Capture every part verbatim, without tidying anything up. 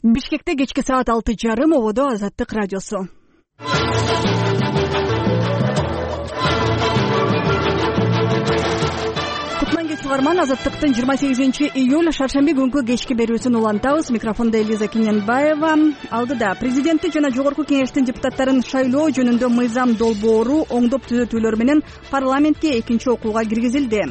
Бишкекте кечки саат алты жарым ободо Азаттык радиосу. Угарман, Азаттыктын жыйырма сегизинчи июль шаршемби күнкү кечки берүүсүн улантабыз. Микрофондо Элиза Кененбаева. Алдыда президенттик жана жогорку кеңештин депутаттарын шайлоо жөнүндө мыйзам долбоору оңдоп түзөтүүлөр менен парламентке экинчи окууга киргизилди.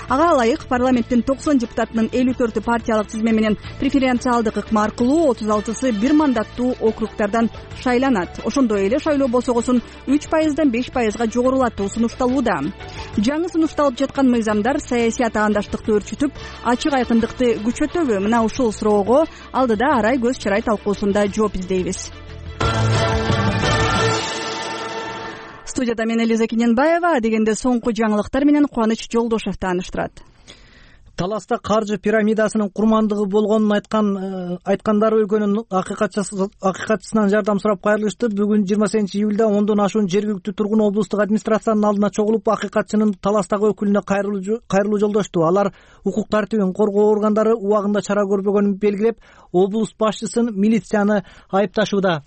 Ага ылайык парламенттин токсон депутатынын элүү төртү партиялык тизме менен преференциалдык ыкма аркылуу отуз алтысы бир мандаттуу округдардан шайланат. Ошондой эле шайлоо босогосун үч пайыздан беш пайызга жогорулатуу сунушталууда. Жаңы сунушталып жаткан мыйзамдар саясий андаштыкты өрчүтүп, ачык айкындыкты күчөтөбү? Мына ушул суроого алдыда арай көз чырай талкуусунда жооп издейбиз. Студияда мен Элиза Кененбаева, дегенде соңку жаңылыктар менен Кубаныч Жолдошев тааныштырат. Таласта каржы пирамидасынын курмандыгы болгонун айткан айткандары өлкөнүн акыйкатчысынан жардам сурап кайрылышты. Бүгүн жыйырма сегизинчи июлда ондон ашуун жергиликтүү тургун облустук администрациянын алдына чогулуп, акыйкатчынын Таластагы өкүлүнө кайрылуу жолдошту. Алар укук тартибин коргоо органдары убагында чара көрбөгөнүн белгилеп, облус башчысын милицияны айыпташууда.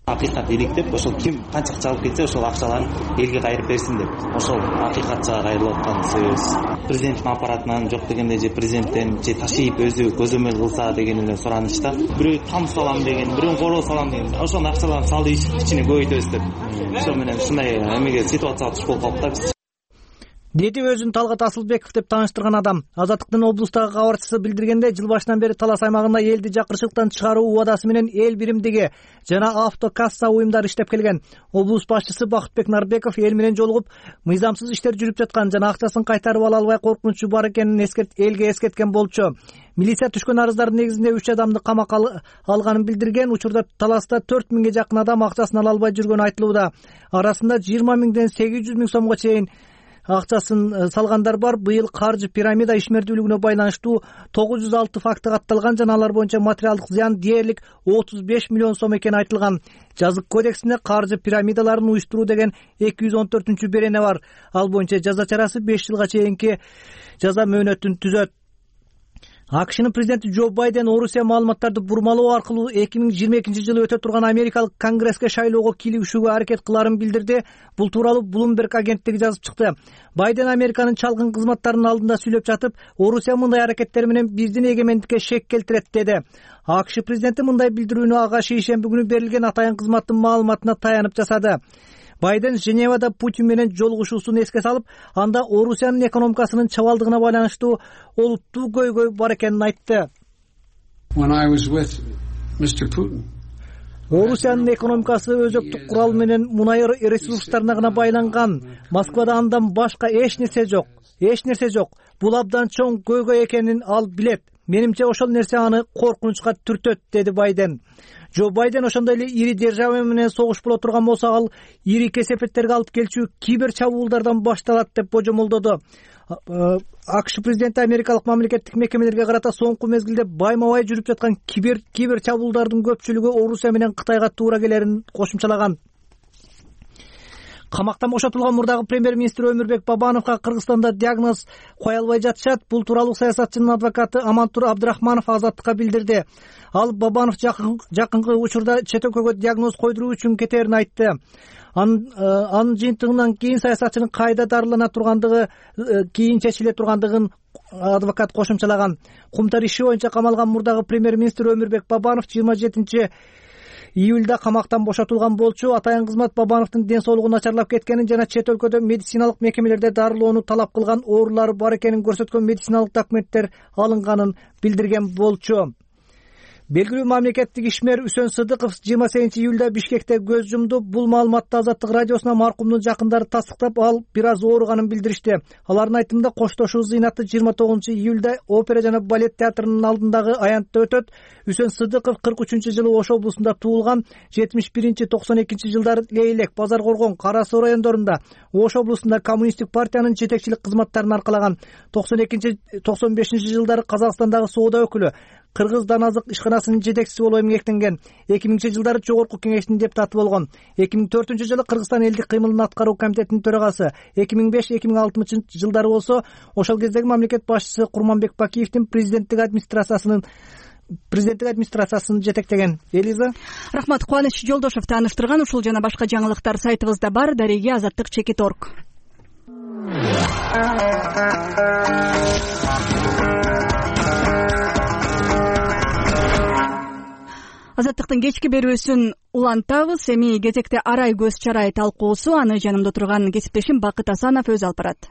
Акыйкат иликтеп, ошол ким канча акча алып кетсе, ошол акчаларын элге кайрып берсин деп, ошол акыйкатчыга кайрылып атканыбыз. Президенттин аппаратынан жок дегенде же президенттен же ташыйып өзү көзөмөл кылса деген эле суранычта. Бирөө там салам деген, бирөө короо салам деген, ошол акчаларды салды ичине көбөйтөбүз деп. Ошол менен ушундай эмеге ситуацияга туш болуп калдык да биз. Деди өзүн Талгат Асылбеков деп тааныштырган адам. Азаттыктын облустагы кабарчысы билдиргенде, жыл башынан бери Талас аймагында элди жакырчылыктан чыгаруу убадасы менен эл биримдиги жана автокасса уюмдары иштеп келген. Облус башчысы Бакытбек Нарбеков эл менен жолугуп, мыйзамсыз иштер жүрүп жаткан жана акчасын кайтарып ала албай коркунучу бар экенин эскерт элге эскерткен болчу. Милиция түшкөн арыздардын негизинде үч адамды камакка алганын билдирген. Учурда Таласта төрт миңге жакын адам акчасын ала албай жүргөнү айтылууда. Арасында жыйырма миңден сегиз жүз миң сомго чейин акчасын салгандар бар. Быйыл каржы пирамида ишмердүүлүгүнө байланыштуу тогуз жүз алты факты катталган жана алар боюнча материалдык зыян дээрлик отуз беш миллион сом экени айтылган. Жазык кодексинде каржы пирамидаларын уюштуруу деген эки жүз он төртүнчү берене бар. Ал боюнча жаза чарасы беш жылга чейинки жаза мөөнөтүн түзөт. АКШнын президенти Джо Байден Орусия маалыматтарды бурмалоо аркылуу эки миң жыйырма экинчи жылы өтө турган Америкалык Конгресске шайлоого кийлигишүүгө аракет кыларын билдирди. Бул тууралуу Bloomberg агенттиги жазып чыкты. Байден Американын чалгын кызматтарынын алдында сүйлөп жатып, Орусия мындай аракеттер менен биздин эгемендикке шек келтирет деди. АКШ президенти мындай билдирүүнү ага шейшемби күнү берилген атайын кызматтын маалыматына таянып жасады. Байден Женевада Путин менен жолугушуусун эске салып, анда Орусиянын экономикасынын чабалдыгына байланыштуу олуттуу көйгөй бар экенин айтты. Орусиянын экономикасы өзөктүк курал менен мунай ресурстарына гана байланган. Москвада андан башка эч нерсе жок. Эч нерсе жок. Бул абдан чоң көйгөй экенин ал билет. Менимче ошол нерсе аны коркунучка түртөт, деди Байден. Джо Байден ошондой эле ири держава менен согуш боло турган болсо, ал ири кесепеттерге алып келчү кибер чабуулдардан башталат деп божомолдоду. АКШ президенти америкалык мамлекеттик мекемелерге карата соңку мезгилде байма-бай жүрүп жаткан кибер кибер чабуулдардын көпчүлүгү Орусия менен Кытайга туура келерин кошумчалаган. Камактан бошотулган мурдагы премьер-министр Өмүрбек Бабановго Кыргызстанда диагноз кое албай жатышат. Бул тууралуу саясатчынын адвокаты Амантур Абдрахманов Азаттыкка билдирди. Ал Бабанов жакынкы учурда чет өлкөгө диагноз койдуруу үчүн кетерин айтты. Анын жыйынтыгынан кийин саясатчынын кайда дарылана тургандыгы кийин чечиле тургандыгын адвокат кошумчалаган. Кумтар иши боюнча камалган мурдагы премьер-министр Өмүрбек Бабанов жыйырма жетинчи июлда камактан бошотулган болчу. Атайын кызмат Бабановдун ден соолугу начарлап кеткенин жана чет өлкөдө медициналык мекемелерде дарылоону талап кылган оорулары бар экенин көрсөткөн медициналык документтер алынганын билдирген болчу. Белгилүү мамлекеттик ишмер Үсөн Сыдыков жыйырма сегизинчи июлда Бишкекте көз жумду. Бул маалыматты Азаттык радиосуна маркумдун жакындары тастыктап, ал бир аз ооруганын билдиришти. Алардын айтымында коштошуу зыйнаты жыйырма тогузунчу июлда опера жана балет театрынын алдындагы аянтта өтөт. Үсөн Сыдыков кырк үчүнчү жылы Ош облусунда туулган. жетимиш биринчи токсон экинчи жылдары Лейлек, Базар Коргон, Кара Суу райондорунда Ош облусунда коммунисттик партиянын жетекчилик кызматтарын аркалаган. токсон экинчи токсон бешинчи жылдары Казакстандагы соода өкүлү, Кыргыз Даназык ишканасынын жетекчиси болуп эмгектенген. эки миңинчи жылдары Жогорку кеңештин депутаты болгон. эки миң төртүнчү жылы Кыргызстан элдик кыймылын аткаруу комитетинин төрагасы. эки миң беш эки миң алтымынчы жылдары болсо ошол кездеги мамлекет башчысы Курманбек Бакиевдин президенттик администрациясынын президенттик администрациясын жетектеген. Элиза. Рахмат. Кубаныч Жолдошев тааныштырган. Ушул жана башка жаңылыктар сайтыбызда бар. Дареге азаттык чекит точка орг. Азаттыктын кечки берүүсүн улантабыз. Эми кезекте арай көз чарай талкуусу. Аны жанымда турган кесиптешим Бакыт Асанов өзү алып барат.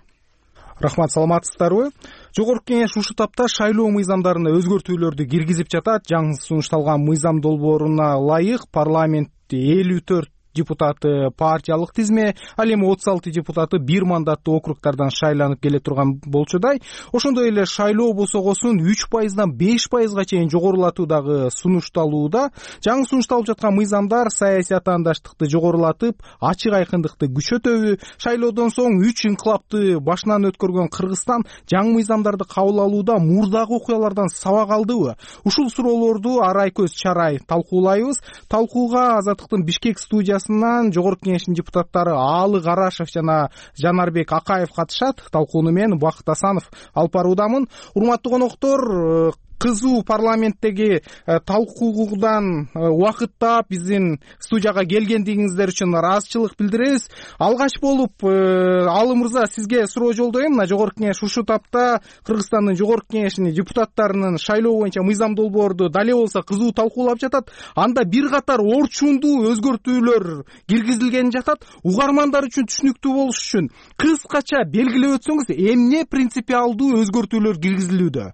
Рахмат, саламатсыздарбы? Жогорку кеңеш ушул тапта шайлоо мыйзамдарына өзгөртүүлөрдү киргизип жатат. Жаңы сунушталган мыйзам долбооруна ылайык парламентте элүү төрт депутаты партиялык тизме, ал эми отуз алты депутаты бир мандаттуу округдардан шайланып келе турган болчудай. Ошондой эле шайлоо босогосун үч пайыздан беш пайызга чейин жогорулатуу дагы сунушталууда. Жаңы сунушталып жаткан мыйзамдар саясий атаандаштыкты жогорулатып, ачык айкындыкты күчөтөбү? Шайлоодон соң үч инкылапты башынан өткөргөн Кыргызстан жаңы мыйзамдарды кабыл алууда мурдагы окуялардан сабак алдыбы? Ушул суроолорду арай көз чарай талкуулайбыз. Талкууга Азаттыктын Бишкек студиясы Жогорку кеңештин депутаттары Аалы Карашев жана Жанарбек Акаев катышат. Талкууну мен Бакыт Асанов алып баруудамын. Урматтуу коноктор, кызуу парламенттеги талкуудан убакыттап биздин студияга келгендигиңиздер үчүн ыраазычылык билдиребиз. Алгач болуп Аалы мырза, сизге суроо жолдойм. Мына Жогорку кеңеш ушул тапта Кыргызстандын Жогорку кеңешинин депутаттарынын шайлоо боюнча мыйзам долбоорду дале болсо кызуу талкуулап жатат. Анда бир катар орчундуу өзгөртүүлөр киргизилген жатат. Угармандар үчүн түшүнүктүү болуш үчүн кыскача белгилеп өтсөңүз, эмне принципиалдуу өзгөртүүлөр киргизилүүдө?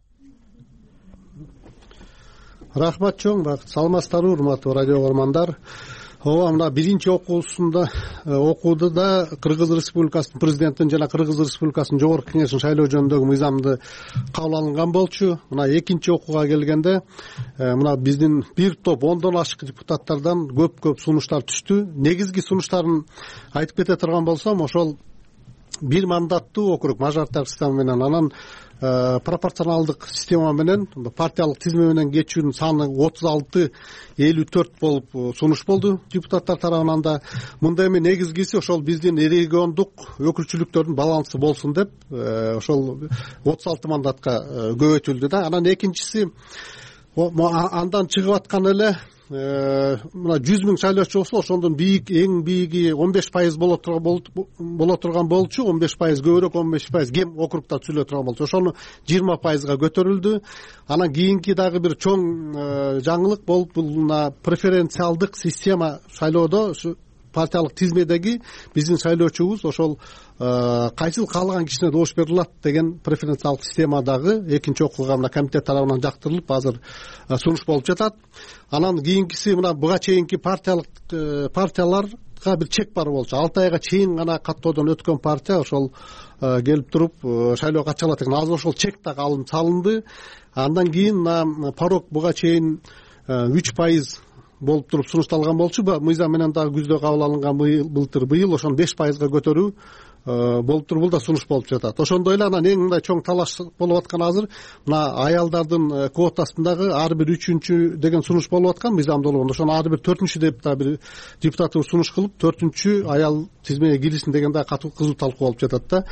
Рахмат чоң, саламатсыздарбы урматтуу радио угармандар. Ооба, мына биринчи окуусунда окууда Кыргыз Республикасынын президентин жана Кыргыз Республикасынын Жогорку кеңешин шайлоо жөнүндөгү мыйзамды кабыл алынган болчу. Мына экинчи окууга келгенде мына биздин бир топ ондон ашык депутаттардан көп-көп сунуштар түштү. Негизги сунуштарын айтып кете турган болсом, ошол бир мандаттуу округ мажоритардык система менен, анан пропорционалдык система менен партиялык тизме менен кечүүнүн саны отуз алты элүү төрт болуп сунуш болду депутаттар тарабынан да. Мында эми негизгиси ошол биздин региондук өкүлчүлүктөрдүн балансы болсун деп ошол отуз алты мандатка көбөйтүлдү да. Анан экинчиси, андан чыгып аткан эле мына жүз миң шайлоочу болсо, ошондон бийик, эң бийиги он беш пайыз боло турган болчу, он беш пайыз көбүрөөк, он беш пайыз кем округда түзүлө турган болчу. Ошону жыйырма пайызга көтөрүлдү. Анан кийинки дагы бир чоң жаңылык болуп, бул мына преференциалдык система шайлоодо партиялык тизмедеги биздин шайлоочубуз ошол кайсыл каалаган кишине добуш бере алат деген преференциалдык система дагы экинчи окууга мына комитет тарабынан жактырылып азыр сунуш болуп жатат. Анан кийинкиси, мына буга чейинки партиялык партияларга бир чек бар болчу. алты айга чейин гана каттоодон өткөн партия ошол келип туруп шайлоого катыша алат экен. Азыр ошол чек дагы алынып салынды. Андан кийин мына порог буга чейин үч пайыз болуп туруп сунушталган болчу. Мыйзам менен дагы күздө кабыл алынган былтыр быйыл ошону беш пайызга көтөрүү болуп туруп, бул да сунуш болуп жатат. Ошондой эле анан эң мындай чоң талаш болуп аткан азыр мына аялдардын квотасындагы ар бир үчүнчү деген сунуш болуп аткан мыйзам долбоорунда. Ошону ар бир төртүнчү деп да бир депутаты сунуш кылып, төртүнчү аял тизмеге киришин деген да катуу кызуу талкуу болуп жатат да.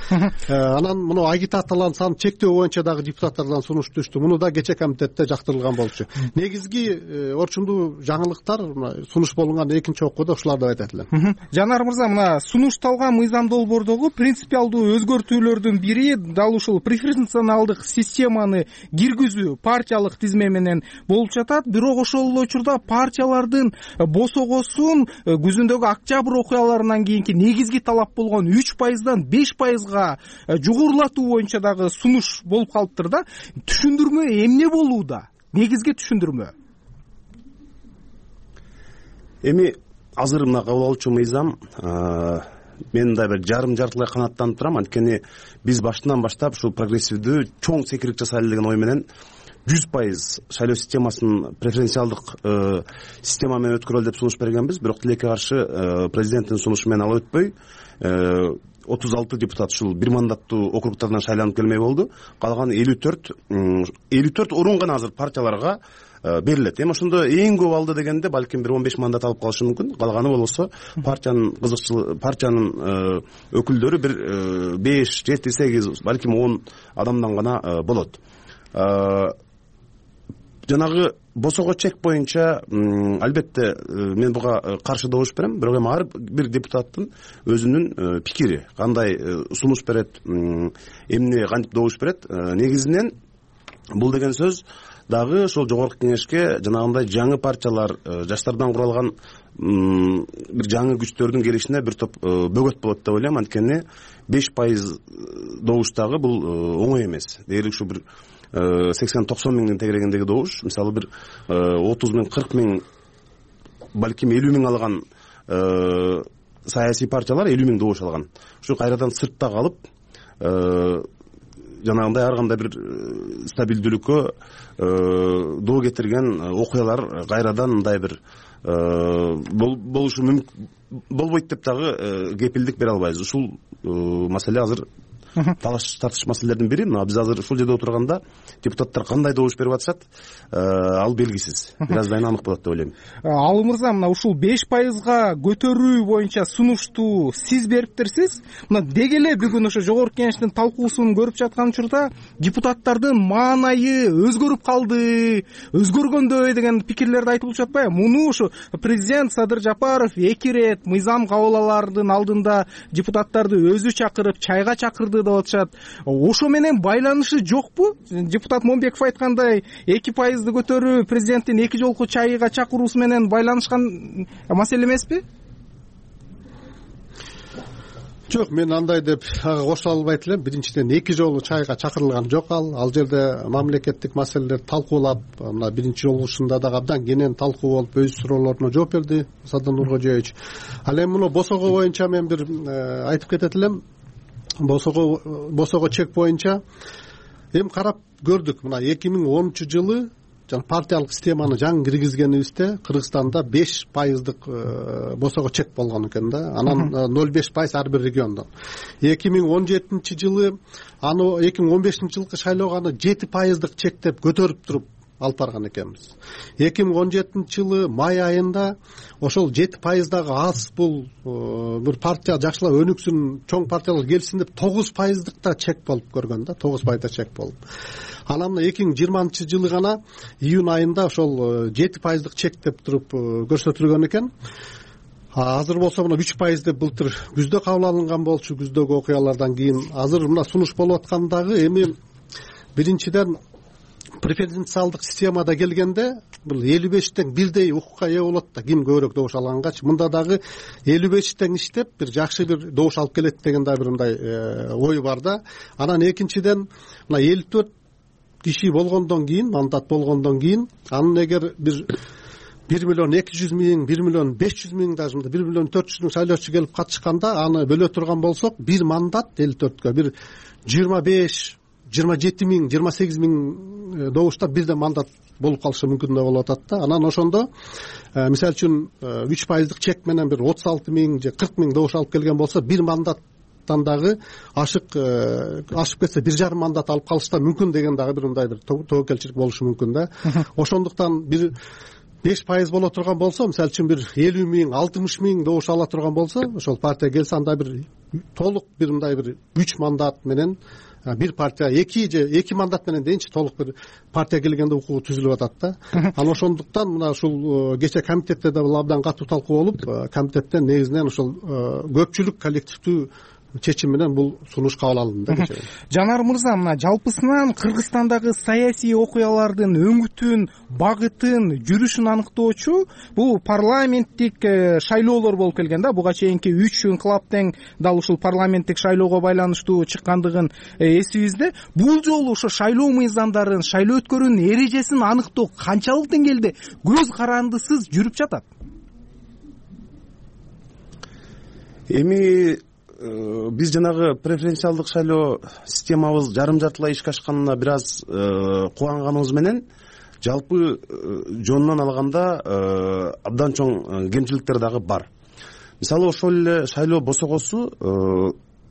Анан муну агитациялардын санын чектөө боюнча дагы депутаттардан сунуш түштү. Муну да кече комитетте жактырылган болчу. Негизги орчундуу жаңылыктар сунуш болгон экинчи окууда ушулар деп айтат элем. Жанар мырза, мына сунушталган мыйзам долбоордогу принципиалдуу өзгөртүүлөрдүн бири дал ушул преференциалдык системаны киргизүү партиялык тизме менен болуп жатат. Бирок ошол эле учурда партиялардын босогосун күзүндөгү октябрь окуяларынан кийинки негизги талап болгон үч пайыздан беш пайызга жогорулатуу боюнча дагы сунуш болуп калыптыр да. Түшүндүрмө эмне болууда? Негизги түшүндүрмө. Эми азыр мына кабыл алуучу мыйзам мен да бир жарым жартылай канааттанып турам. Анткени биз башынан баштап ушул прогрессивдүү чоң секирик жасайлы деген ой менен жүз пайыз шайлоо системасын преференциалдык система менен өткөрөлү деп сунуш бергенбиз. Бирок тилекке каршы президенттин сунушу менен алып өтпөй отуз алты депутат ушул бир мандаттуу округдардан шайланып келмей болду. Калган элүү төрт элүү төрт орун гана азыр партияларга берилет. Эми ошондо эң көп алды дегенде балким бир он беш мандат алып калышы мүмкүн. Калганы болсо партиянын кызыкчылыгы, партиянын өкүлдөрү бир беш, жети, сегиз, балким он адамдан гана болот. Жанагы босого чек боюнча албетте мен буга каршы добуш берем, бирок эми ар бир депутаттын өзүнүн пикири кандай сунуш берет, эмне кантип добуш берет. Негизинен бул деген сөз дагы ошол жогорку кеңешке жанагындай жаңы партиялар, жаштардан куралган бир жаңы күчтөрдүн келишине бир топ бөгөт болот деп ойлойм. Анткени беш пайыз добуш дагы бул оңой эмес. Дээрлик ушу бир сексен токсон миңдин тегерегиндеги добуш, мисалы бир отуз миң кырк миң, балким элүү миң алган саясий партиялар элүү миң добуш алган. Ушу кайрадан сыртта калып, жанагындай ар кандай бир стабилдүүлүккө доо кетирген окуялар кайрадан мындай бир болушу мүмкүн болбойт деп дагы кепилдик бере албайбыз. Ушул маселе азыр талаш тартыш маселелердин бири. Мына биз азыр ушул жерде отурганда депутаттар кандай добуш берип атышат, ал белгисиз. Бир аздан кийин анык болот деп ойлойм. Алы мырза, мына ушул беш пайызга көтөрүү боюнча сунушту сиз бериптерсиз. Мына деги эле бүгүн ошо жогорку кеңештин талкуусун көрүп жаткан учурда депутаттардын маанайы өзгөрүп калды, өзгөргөндөй деген пикирлерди айтылып жатпайбы? Муну ушу президент Садыр Жапаров эки ирет мыйзам кабыл алаардын алдында депутаттарды өзү чакырып, чайга чакырды деп атышат. Ошо менен байланышы жокпу? Депутат Момбеков айткандай, эки пайызды көтөрүү президенттин эки жолку чайга чакыруусу менен байланышкан маселе эмеспи? Жок, мен андай деп кошо албайт элем. Биринчиден эки жолу чайга чакырылган жок ал. Ал жерде мамлекеттик маселелерди талкуулап, мына биринчи жолугушунда дагы абдан кенен талкуу болуп, өз суроолоруна жооп берди Садыр Нуркожоевич. Ал эми муну босого боюнча мен бир айтып кетет элем. Босого босого чек боюнча эми карап көрдүк. Мына эки миң онунчу жылы жана партиялык системаны жаңы киргизгенибизде Кыргызстанда беш пайыздык босого чек болгон экен да. Анан ноль беш пайыз ар бир региондон. эки миң он жетинчи жылы аны эки миң он бешинчи жылкы шайлоого аны жети пайыздык чек деп көтөрүп туруп алып барган экенбиз. эки миң он жетинчи жылы май айында ошол жети пайыз дагы аз, бул бир партия жакшылап өнүксүн, чоң партиялар келсин деп тогуз пайыздык да чек болуп көргөн да, тогуз пайызда чек болуп. Анан мына эки миң жыйырманчы жылы гана июнь айында ошол жети пайыздык чек деп туруп көрсөтүлгөн экен. Азыр болсо мына үч пайыз деп былтыр күздө кабыл алынган болчу, күздөгү окуялардан кийин. Азыр мына сунуш болуп аткандагы эми биринчиден преференциалдык системада келгенде бул элүү беш тең бирдей укукка ээ болот да, ким көбүрөөк добуш алгангачы. Мында дагы элүү беш тең иштеп бир жакшы бир добуш алып келет деген да бир мындай ой бар да. Анан экинчиден мына элүү төрт киши болгондон кийин, мандат болгондон кийин, анын эгер бир бир миллион эки жүз миң, бир миллион беш жүз миң, даже бир миллион төрт жүз миң шайлоочу келип катышканда, аны бөлө турган болсок, бир мандат элүү төрткө бир жыйырма беш, жыйырма жети миң, жыйырма сегиз миң добушта бирден мандат болуп калышы мүмкүн да болуп атат да. Анан ошондо мисалы үчүн үч пайыздык чек менен бир отуз алты миң же кырк миң добуш алып келген болсо, бир мандаттан дагы ашык ашып кетсе бир жарым мандат алып калыш да мүмкүн деген дагы бир мындай бир тобокелчилик болушу мүмкүн да. Ошондуктан бир беш пайыз боло турган болсо, мисалы үчүн бир элүү миң, алтымыш миң добуш ала турган болсо, ошол партия келсе, анда бир толук бир мындай бир үч мандат менен бир партия эки же эки мандат менен дейинчи толук бир партия келгенде укугу түзүлүп атат да. Анан ошондуктан мына ушул кече комитетте да абдан катуу талкуу болуп, комитеттен негизинен ошол көпчүлүк коллективдүү чечим менен бул сунуш кабыл алынды да. Жанар мырза, мына жалпысынан Кыргызстандагы саясий окуялардын өңүтүн, багытын, жүрүшүн аныктоочу бул парламенттик шайлоолор болуп келген да. Буга чейинки үч инкылаптын дал ушул парламенттик шайлоого байланыштуу чыккандыгын эсибизде. Бул жолу ошо шайлоо мыйзамдарын, шайлоо өткөрүүнүн эрежесин аныктоо канчалык деңгээлде көз карандысыз жүрүп жатат? Эми биз жанагы преференциалдык шайлоо системабыз жарым жартылай ишке ашканына бир аз кубанганыбыз менен, жалпы жонунан алганда абдан чоң кемчиликтер дагы бар. Мисалы ошол эле шайлоо босогосу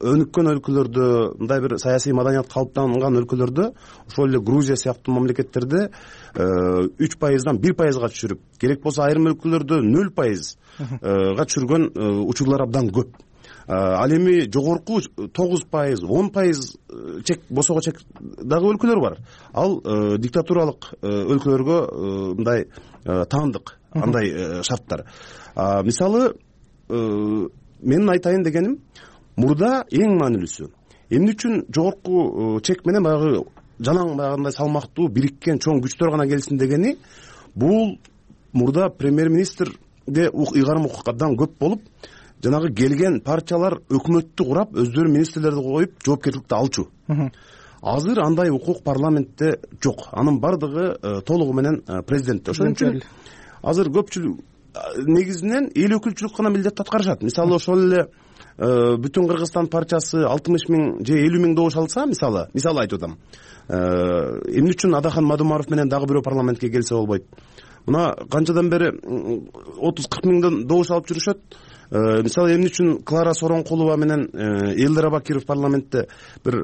өнүккөн өлкөлөрдө, мындай бир саясий маданият калыптанган өлкөлөрдө, ошол эле Грузия сыяктуу мамлекеттерде үч пайыздан бир пайызга түшүрүп, керек болсо айрым өлкөлөрдө нөл пайызга түшүргөн учурлар абдан көп. ал эми жогорку тогуз пайыз он пайыз чек босого чек дагы өлкөлөр бар. Ал диктатуралык өлкөлөргө мындай таандык андай шарттар. Мисалы менин айтайын дегеним, мурда эң маанилүүсү эмне үчүн жогорку чек менен баягы жалаң баягындай салмактуу бириккен чоң күчтөр гана келсин дегени, бул мурда премьер-министрде ыйгарым абдан көп болуп, жанагы келген партиялар өкмөттү курап, өздөрү министрлерди коюп, жоопкерчиликти алчу. Азыр андай укук парламентте жок. Анын бардыгы толугу менен президентте. Ошон үчүн азыр көпчүлүк негизинен эл өкүлчүлүк гана милдетти аткарышат. Мисалы ошол эле Бүтүн Кыргызстан партиясы алтымыш миң же элүү миң добуш алса, мисалы, мисалы айтып атам. Эмне үчүн Адахан Мадумаров менен дагы бирөө парламентке келсе болбойт? Мына канчадан бери отуз кырк миңден добуш алып жүрүшөт. Мисалы, эмне үчүн Клара Соронкулова менен Элдер Абакиров парламентте бир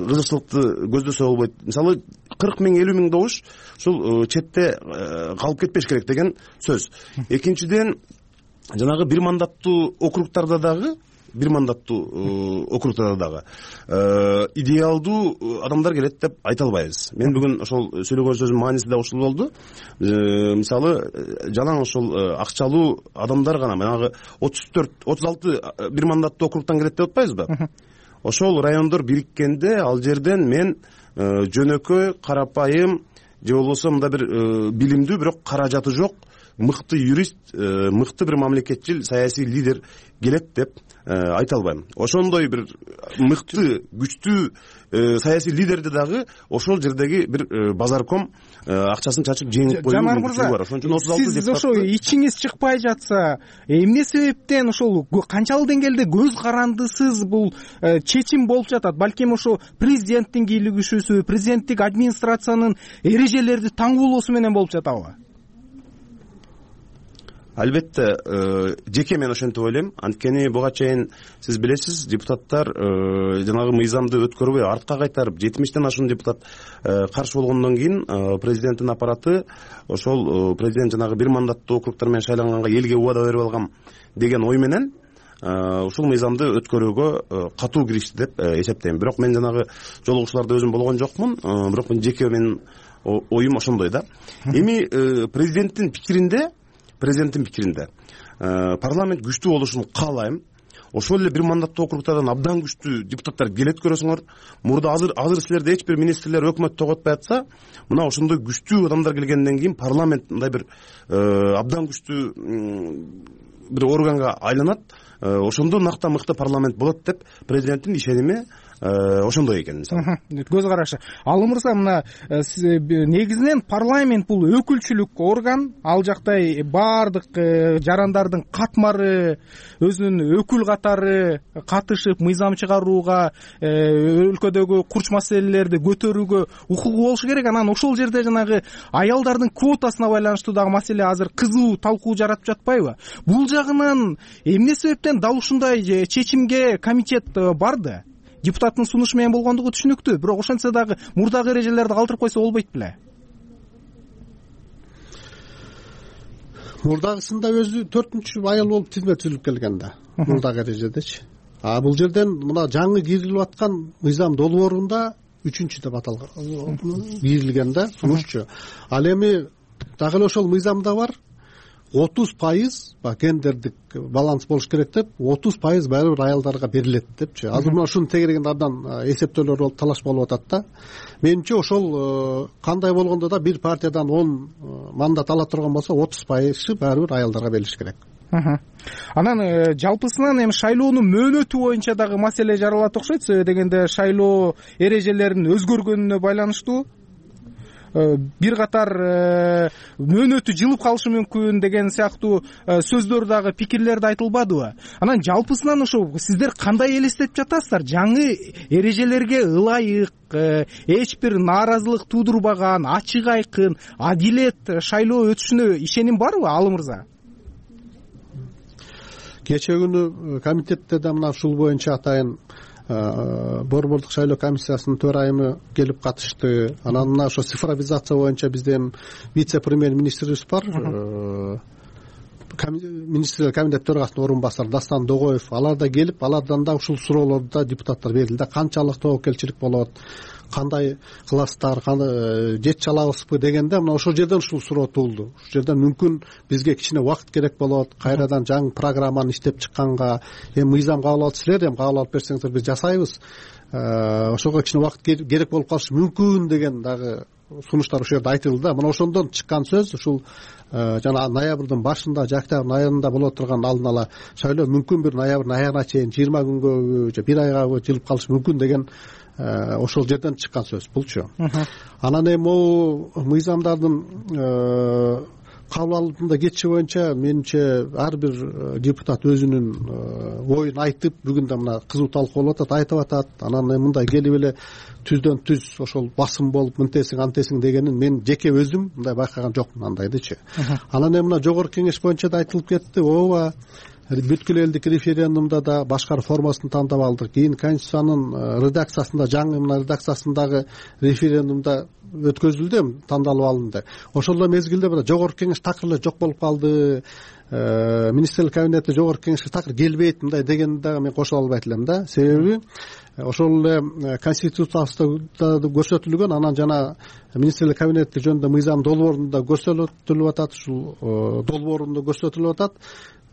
кызыкчылыкты көздөсө болбойт? Мисалы, кырк миң элүү миң добуш ушул четте калып кетпеш керек деген сөз. Экинчиден, жанагы бир мандаттуу округтарда дагы бир мандаттуу округтарда дагы идеалдуу адамдар келет деп айта албайбыз. Мен бүгүн ошол сүйлөгөн сөзүмдүн мааниси да ушул болду. Мисалы, жалаң ошол акчалуу адамдар гана, баягы отуз төрт отуз алты бир мандаттуу округтан келет деп атпайбызбы? Ошол райондор бириккенде ал жерден мен жөнөкөй, карапайым же болбосо мындай бир билимдүү, бирок каражаты жок, мыкты юрист, мыкты бир мамлекетчил саясий лидер келет деп айта албайм. Ошондой бир мыкты, күчтүү саясий лидерди дагы ошол жердеги бир базарком акчасын чачып жеңип коюу мүмкүнчүлүгү бар. Ошон үчүн отуз алты сиз ошо ичиңиз чыкпай жатса, эмне себептен ошол канчалык деңгээлде көз карандысыз бул чечим болуп жатат? Балким ошо президенттин кийлигишүүсү, президенттик администрациянын эрежелерди таңгуулоосу менен болуп жатабы? Албетте, жеке мен ошентип ойлойм. Анткени буга чейин сиз билесиз, депутаттар жанагы мыйзамды өткөрбөй артка кайтарып, жетимиштен ашуун депутат каршы болгондон кийин президенттин аппараты ошол президент жанагы бир мандаттуу округтар менен шайланганга элге убада берип алгам деген ой менен ушул мыйзамды өткөрүүгө катуу киришти деп эсептейм. Бирок мен жанагы жолугушууларда өзүм болгон жокмун. Бирок мен жеке менин оюм ошондой да. Эми президенттин пикиринде Президенттин пикиринде парламент күчтүү болушун каалайм. Ошол эле бир мандаттуу округтардан абдан күчтүү депутаттар келет көрөсүңөр. Мурда азыр азыр силерде эч бир министрлер өкмөт тоготпой атса, мына ошондой күчтүү адамдар келгенден кийин парламент мындай бир абдан күчтүү бир органга айланат. Ошондо накта мыкты парламент болот деп президенттин ишеними ошондой экен. Көз карашы. Алым мырза, мына негизинен парламент бул өкүлчүлүк орган, ал жактай баардык жарандардын катмары, өзүнүн өкүл катары катышып мыйзам чыгарууга, өлкөдөгү курч маселелерди көтөрүүгө укугу болушу керек. Анан ошол жерде жанагы аялдардын квотасына байланыштуу дагы маселе азыр кызуу талкуу жаратып жатпайбы? Бул жагынан эмне себептен дал ушундай чечимге комитет барды? Депутаттын сунушу менен болгондугу түшүнүктүү, бирок ошентсе дагы мурдагы эрежелерди калтырып койсо болбойт беле? Мурдагысында өзү төртүнчү айыл болуп тизме түзүлүп келген да, мурдагы эрежедечи. А бул жерден мына жаңы кирилип аткан мыйзам долбоорунда үчүнчү деп аталган, кирилген да, сунушчу. Ал эми дагы эле ошол мыйзамда бар, отуз пайыз гендердик баланс болуш керек деп, отуз пайыз баары бир аялдарга берилет депчи. Азыр мына ушунун тегерегинде абдан эсептөөлөр болуп талаш болуп атат да. Менимче ошол кандай болгондо да бир партиядан он мандат ала турган болсо, отуз пайызы баары бир аялдарга берилиш керек. Анан жалпысынан эми шайлоонун мөөнөтү боюнча дагы маселе жаралат окшойт. Себеби дегенде шайлоо эрежелеринин өзгөргөнүнө байланыштуу бир катар мөөнөтү жылып калышы мүмкүн деген сыяктуу сөздөр дагы, пикирлер да айтылбадыбы? Анан жалпысынан ошо сиздер кандай элестетип жатасыздар? Жаңы эрежелерге ылайык, эч бир нааразылык туудурбаган, ачык айкын, адилет шайлоо өтүшүнө ишеним барбы, Алым мырза? Кечээ күнү комитетте да мына ушул боюнча атайын борбордук шайлоо комиссиясынын төрайымы келип катышты. Анан мына ошо цифровизация боюнча бизден вице-премьер министрибиз бар, министрлер кабинет төрагасынын орун басары Дастан Догоев алар да келип, алардан да ушул суроолорду да депутаттар берди. Канчалык тобокелчилик болот, кандай кыласыздар, жетчи алабызбы дегенде мына ошол жерден ушул суроо туулду. Ушул жерден мүмкүн бизге кичине убакыт керек болот, кайрадан жаңы программаны иштеп чыкканга, эми мыйзам кабыл алып силер эми кабыл алып берсеңиздер биз жасайбыз, ошого кичине убакыт керек болуп калышы мүмкүн деген дагы сунуштар ушул жерде айтылды да. Мына ошондон чыккан сөз ушул жана ноябрдын башында же октябрдын айында боло турган алдын ала шайлоо мүмкүн бир ноябрдын аягына чейин жыйырма күнгөбү же бир айгабы жылып калышы мүмкүн деген ошол жерден чыккан сөз булчу. Анан эми могу мыйзамдардын кабыл алууда кетиши боюнча менимче ар бир депутат өзүнүн оюн айтып, бүгүн да мына кызуу талкуу болуп атат, айтып атат. Анан эми мындай келип эле түздөн түз ошол басым болуп мынтесиң антесиң дегенин мен жеке өзүм мындай байкаган жокмун андайдычы. Анан эми мына жогорку кеңеш боюнча да айтылып кетти. ооба бүткүл элдик референдумда да башкар формасын тандап алдык. Кийин конституциянын редакциясында, жаңы мына редакциясындагы референдумда өткөзүлдү, тандалып алынды. Ошол мезгилде мына жогорку кеңеш такыр эле жок болуп калды. Министрлер кабинети жогорку кеңешке такыр келбейт мындай дегенди дагы мен кошо албайт элем да. Себеби ошол эле конституцияда көрсөтүлгөн, анан жана министрлер кабинети жөнүндө мыйзам долбоорунда көрсөтүлүп атат, ушул долбоорунда көрсөтүлүп атат.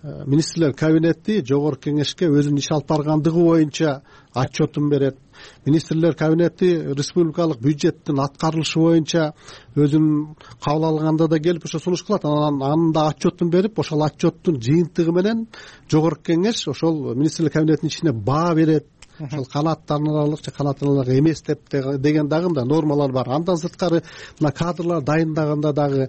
Министрлер кабинети жогорку кеңешке өзүнүн иш алып баргандыгы боюнча отчетун берет. Министрлер кабинети республикалык бюджеттин аткарылышы боюнча өзүнүн кабыл алганда да келип ошо сунуш кылат. Анан анын да отчетун берип, ошол отчеттун жыйынтыгы менен жогорку кеңеш ошол министрлер кабинетинин ичине баа берет. Ошол канааттанарлык же канааттанарлык эмес деп деген дагы мындай нормалар бар. Андан сырткары мына кадрлар дайындаганда дагы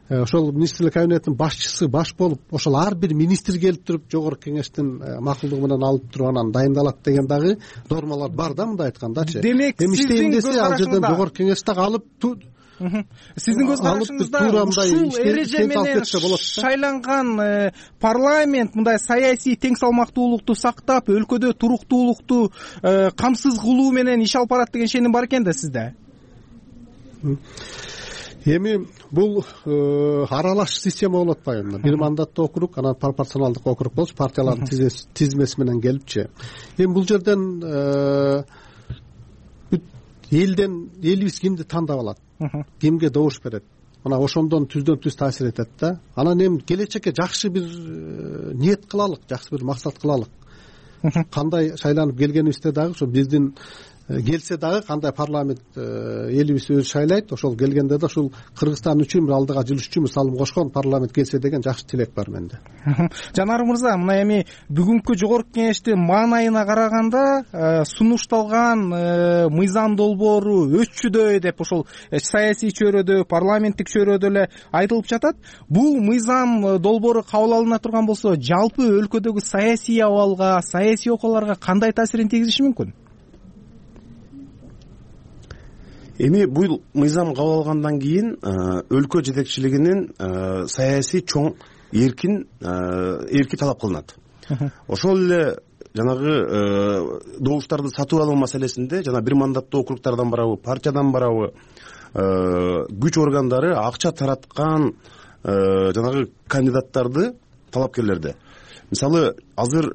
ошол министрлер кабинетинин башчысы баш болуп, ошол ар бир министр келип туруп жогорку кеңештин макулдугу менен алып туруп анан дайындалат деген дагы нормалар бар да, мындай айткандачы. Демек эми иштейм десе ал жерден жогорку кеңеш дагы алып сиздин көз карашыңызда ушул эреже менен шайланган парламент мындай саясий тең салмактуулукту сактап, өлкөдө туруктуулукту камсыз кылуу менен иш алып барат деген ишеним бар экен да сизде? Эми бул аралаш система болуп атпайбы? Бир мандаттуу округ, анан пропорционалдык округ болчу, партиялардын тизмеси менен келипчи. Эми бул жерден элден элибиз кимди тандап алат, кимге добуш берет, мына ошондон түздөн түз таасир этет да. Анан эми келечекке жакшы бир ниет кылалык, жакшы бир максат кылалык. Кандай шайланып келгенибизде дагы ошо биздин келсе дагы кандай парламент элибиз өзү шайлайт, ошол келгенде да ушул Кыргызстан үчүн бир алдыга жылыш үчүн салым кошкон парламент келсе деген жакшы тилек бар менде. Жанар мырза, мына эми бүгүнкү жогорку кеңештин маанайына караганда сунушталган мыйзам долбоору өччүдөй деп ошол саясий чөйрөдө, парламенттик чөйрөдө эле айтылып жатат. Бул мыйзам долбоору кабыл алына турган болсо, жалпы өлкөдөгү саясий абалга, саясий окуяларга кандай таасирин тийгизиши мүмкүн? Эми бул мыйзам кабыл алгандан кийин өлкө жетекчилигинин саясий чоң эркин эрки талап кылынат. Ошол эле жанагы добуштарды сатып алуу маселесинде жана бир мандаттуу округдардан барабы, партиядан барабы күч органдары акча тараткан жанагы кандидаттарды, талапкерлерди. Мисалы, азыр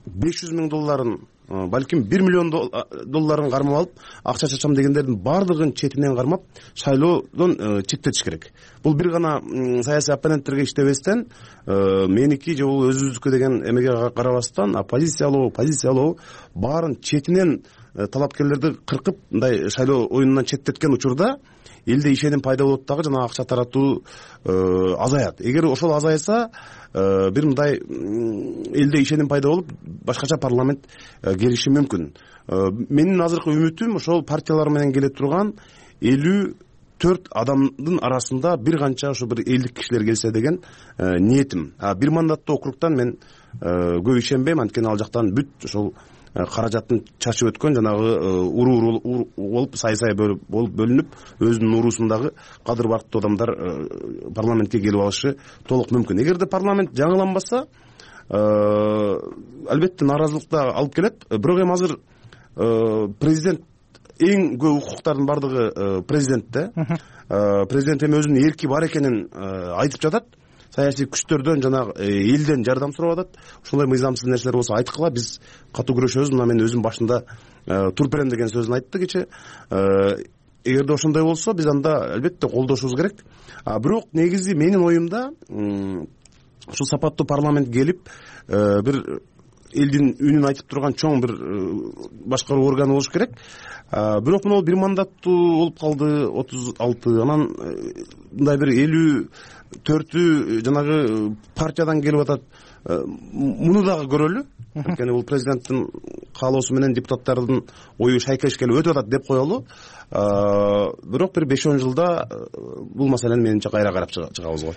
беш жүз миң долларын, балким бир миллион долларын кармап алып, акча чачам дегендердин баардыгын четинен кармап, шайлоодон четтетиш керек. Бул бир гана саясий оппоненттерге иштебестен, меники же бул өзүбүздүкү деген эмеге карабастан, оппозициялоо, позициялоо баарын четинен талапкерлерди кыркып, мындай шайлоо оюнунан четтеткен учурда элде ишеним пайда болот дагы, жана акча таратуу азаят. Эгер ошол азайса, бир мындай элде ишеним пайда болуп, башкача парламент келиши мүмкүн. Менин азыркы үмүтүм ошол партиялар менен келе турган элүү төрт адамдын арасында бир канча ошо бир элдик кишилер келсе деген ниетим. Бир мандаттуу округтан мен көп ишенбейм, анткени ал жактан бүт ошол каражатын чачып өткөн жанагы уруу болуп, сай-сай болуп бөлүнүп, өзүнүн уруусундагы кадыр барктуу адамдар парламентке келип алышы толук мүмкүн. Эгерде парламент жаңыланбаса, албетте нааразылыкты алып келет. Бирок эми азыр президент эң көп укуктардын бардыгы президентте. Президент эми өзүнүн эрки бар экенин айтып жатат. саясий күчтөрдөн жанагы элден жардам сурап атат. Ошондой мыйзамсыз нерселер болсо айткыла, биз катуу күрөшөбүз. Мына мен өзүм башында тур берем деген сөзүн айтты кече. Эгерде ошондой болсо биз анда албетте колдошубуз керек. А бирок негизи менин оюмда ушул сапаттуу парламент келип бир элдин үнүн айтып турган чоң бир башкаруу органы болуш керек. Бирок мына бир мандаттуу болуп калды, отуз алты, анан мындай бир элүү төртү жанагы партиядан келип атат. Муну дагы көрөлү. Анткени бул президенттин каалоосу менен депутаттардын ою шайкеш келип өтүп атат деп коелу. Бирок бир беш он жылда бул маселени менимче кайра карап чыгабыз го.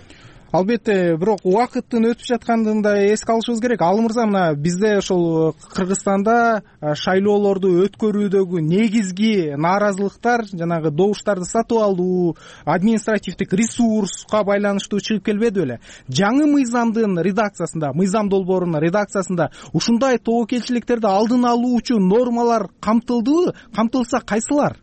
Албетте, бирок убакыттын өтүп жаткандыгын да эске алышыбыз керек. Ал мырза, мына бизде ошол Кыргызстанда шайлоолорду өткөрүүдөгү негизги нааразылыктар жанагы добуштарды сатып алуу, административдик ресурска байланыштуу чыгып келбеди беле? Жаңы мыйзамдын редакциясында, мыйзам долбоорунун редакциясында ушундай тобокелчиликтерди алдын алуучу нормалар камтылдыбы? Камтылса кайсылар?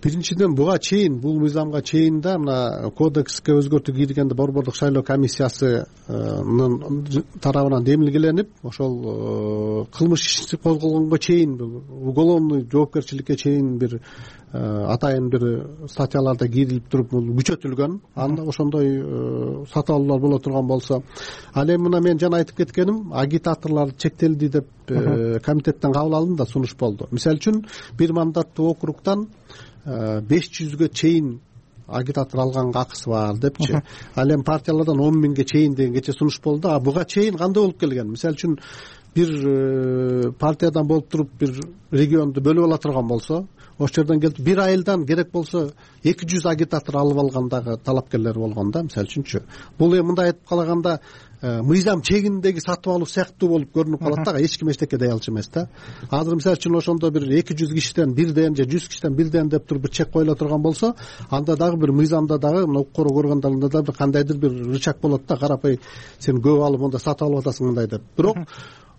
Биринчиден, буга чейин, бул мыйзамга чейин да мына кодекске өзгөртүү киргенде Борбордук шайлоо комиссиясынын тарабынан демилгеленип, ошол кылмыш иши козголгонго чейин, уголовный жоопкерчиликке чейин бир атайын бир статьяларда кирилип туруп, бул күчөтүлгөн. Анда ошондой сатып алуулар боло турган болсо, ал эми мына мен жана айтып кеткеним, агитаторлор чектелди деп комитеттен кабыл алынды да сунуш болду. Мисалы үчүн, бир мандаттуу округтан беш жүзгө чейин агитатор алганга акысы бар депчи. Ал эми партиялардан он миңге чейин деген кече сунуш болду. А буга чейин кандай болуп келген? Мисалы үчүн, бир партиядан болуп туруп бир регионду бөлүп ала турган болсо, ошол жерден келип бир айылдан керек болсо эки жүз агитатор алып алгандагы талапкерлер болгон да, мисалы үчүнчү. Бул эми мындай айтып калганда мыйзам чегиндеги сатып алуу сыяктуу болуп көрүнүп калат да, эч ким эчтеке дей алчу эмес да. Азыр мисалы үчүн ошондо бир эки жүз кишиден бирден же жүз кишиден бирден деп туруп бир чек коюла турган болсо, анда дагы бир мыйзамда дагы мына укук коргоо органдарында да бир кандайдыр бир рычаг болот да, карапай сен көп алып монда сатып алып атасың мындай деп. Бирок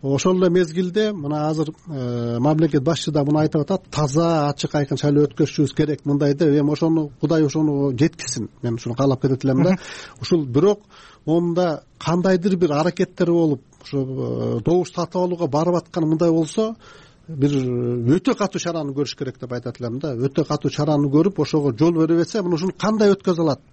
ошол эле мезгилде мына азыр мамлекет башчысы да муну айтып атат, таза, ачык, айкын шайлоо өткөрүшүбүз керек мындай деп. Эми ошону Кудай ошону жеткизсин. Мен ушуну каалап кетет элем да. Ушул бирок монда кандайдыр бир аракеттер болуп, ушу добуш сатып алууга барып аткан мындай болсо, бир өтө катуу чараны көрүш керек деп айтат элем да. Өтө катуу чараны көрүп, ошого жол бербесе, мына ушуну кандай өткөзө алат?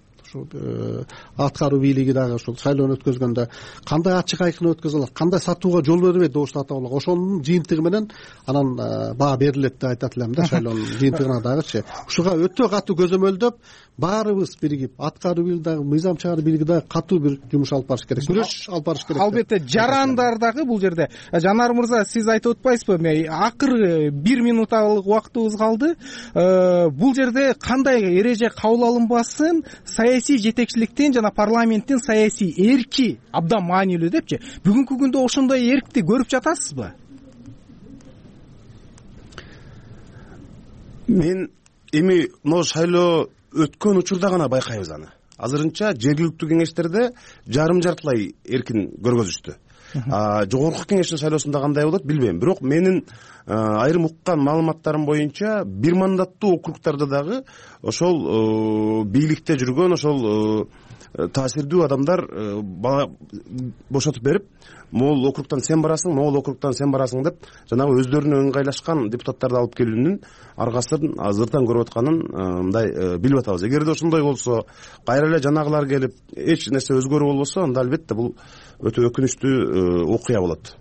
Аткаруу бийлиги дагы ушул шайлоону өткөзгөндө кандай ачык айкын өткөзө алат, кандай сатууга жол бербейт добуш сатып алууга, ошонун жыйынтыгы менен анан баа берилет деп айтат элем да, шайлоонун жыйынтыгына дагычы. Ушуга өтө катуу көзөмөлдөп, баарыбыз биригип, аткаруу бийлиги дагы, мыйзам чыгаруу бийлиги дагы катуу бир жумуш алып барыш керек, күрөш алып барыш керек. Албетте, жарандар дагы бул жерде. Жанар мырза, сиз айтып атпайсызбы? Акыркы бир минуталык убактыбыз калды. Бул жерде кандай эреже кабыл алынбасын, саясий жетекчиликтин жана парламенттин саясий эрки абдан маанилүү депчи. Бүгүнкү күндө ошондой эркти көрүп жатасызбы? Мен эми могу шайлоо өткөн учурда гана байкайбыз аны. Азырынча жергиликтүү кеңештерде жарым жартылай эркин көргөзүштү. Жогорку кеңештин шайлоосунда кандай болот билбейм. Бирок менин айрым уккан маалыматтарым боюнча бир мандаттуу округтарда дагы ошол бийликте жүргөн ошол таасирдүү адамдар бошотуп берип, могул округтан сен барасың, могул округтан сен барасың деп жанагы өздөрүнө ыңгайлашкан депутаттарды алып келүүнүн аргасын азыртан көрүп атканын мындай билип атабыз. Эгерде ошондой болсо, кайра эле жанагылар келип эч нерсе өзгөрүү болбосо, анда албетте бул өтө өкүнүчтүү окуя болот.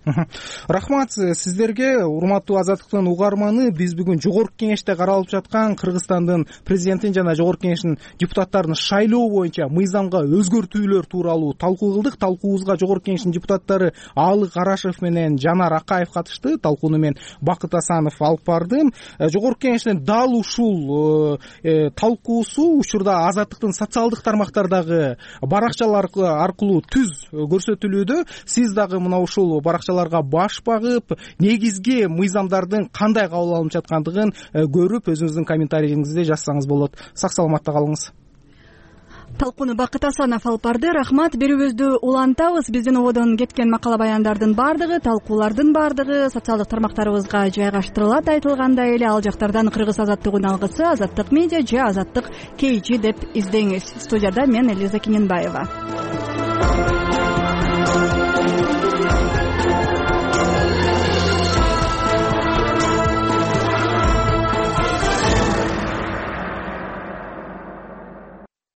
Рахмат сиздерге, урматтуу Азаттыктын угарманы. Биз бүгүн жогорку кеңеште каралып жаткан Кыргызстандын президентин жана жогорку кеңештин депутаттарын шайлоо боюнча мыйзамга өзгөртүүлөр тууралуу талкуу кылдык. Талкуубузга жогорку кеңештин депутаттары Аалы Карашев менен Жанар Акаев катышты. Талкууну мен Бакыт Асанов алып бардым. Жогорку кеңештин дал ушул талкуусу учурда Азаттыктын социалдык тармактардагы баракчалар аркылуу түз көрсөтүлүүдө. Сиз дагы мына ушул баракчаларга баш багып, негизги мыйзамдардын кандай кабыл алынып жаткандыгын көрүп, өзүңүздүн комментарийиңизди жазсаңыз болот. Сак саламатта калыңыз. талкууну Бакыт Асанов алып барды. Рахмат. Берүүбүздү улантабыз. Биздин ободон кеткен макала баяндардын баардыгы, талкуулардын баардыгы социалдык тармактарыбызга жайгаштырылат. Айтылгандай эле ал жактардан Кыргыз азаттыгынын алгысы, Азаттык медиа же Азаттык кей жи деп издеңиз. Студияда мен Элиза Кененбаева.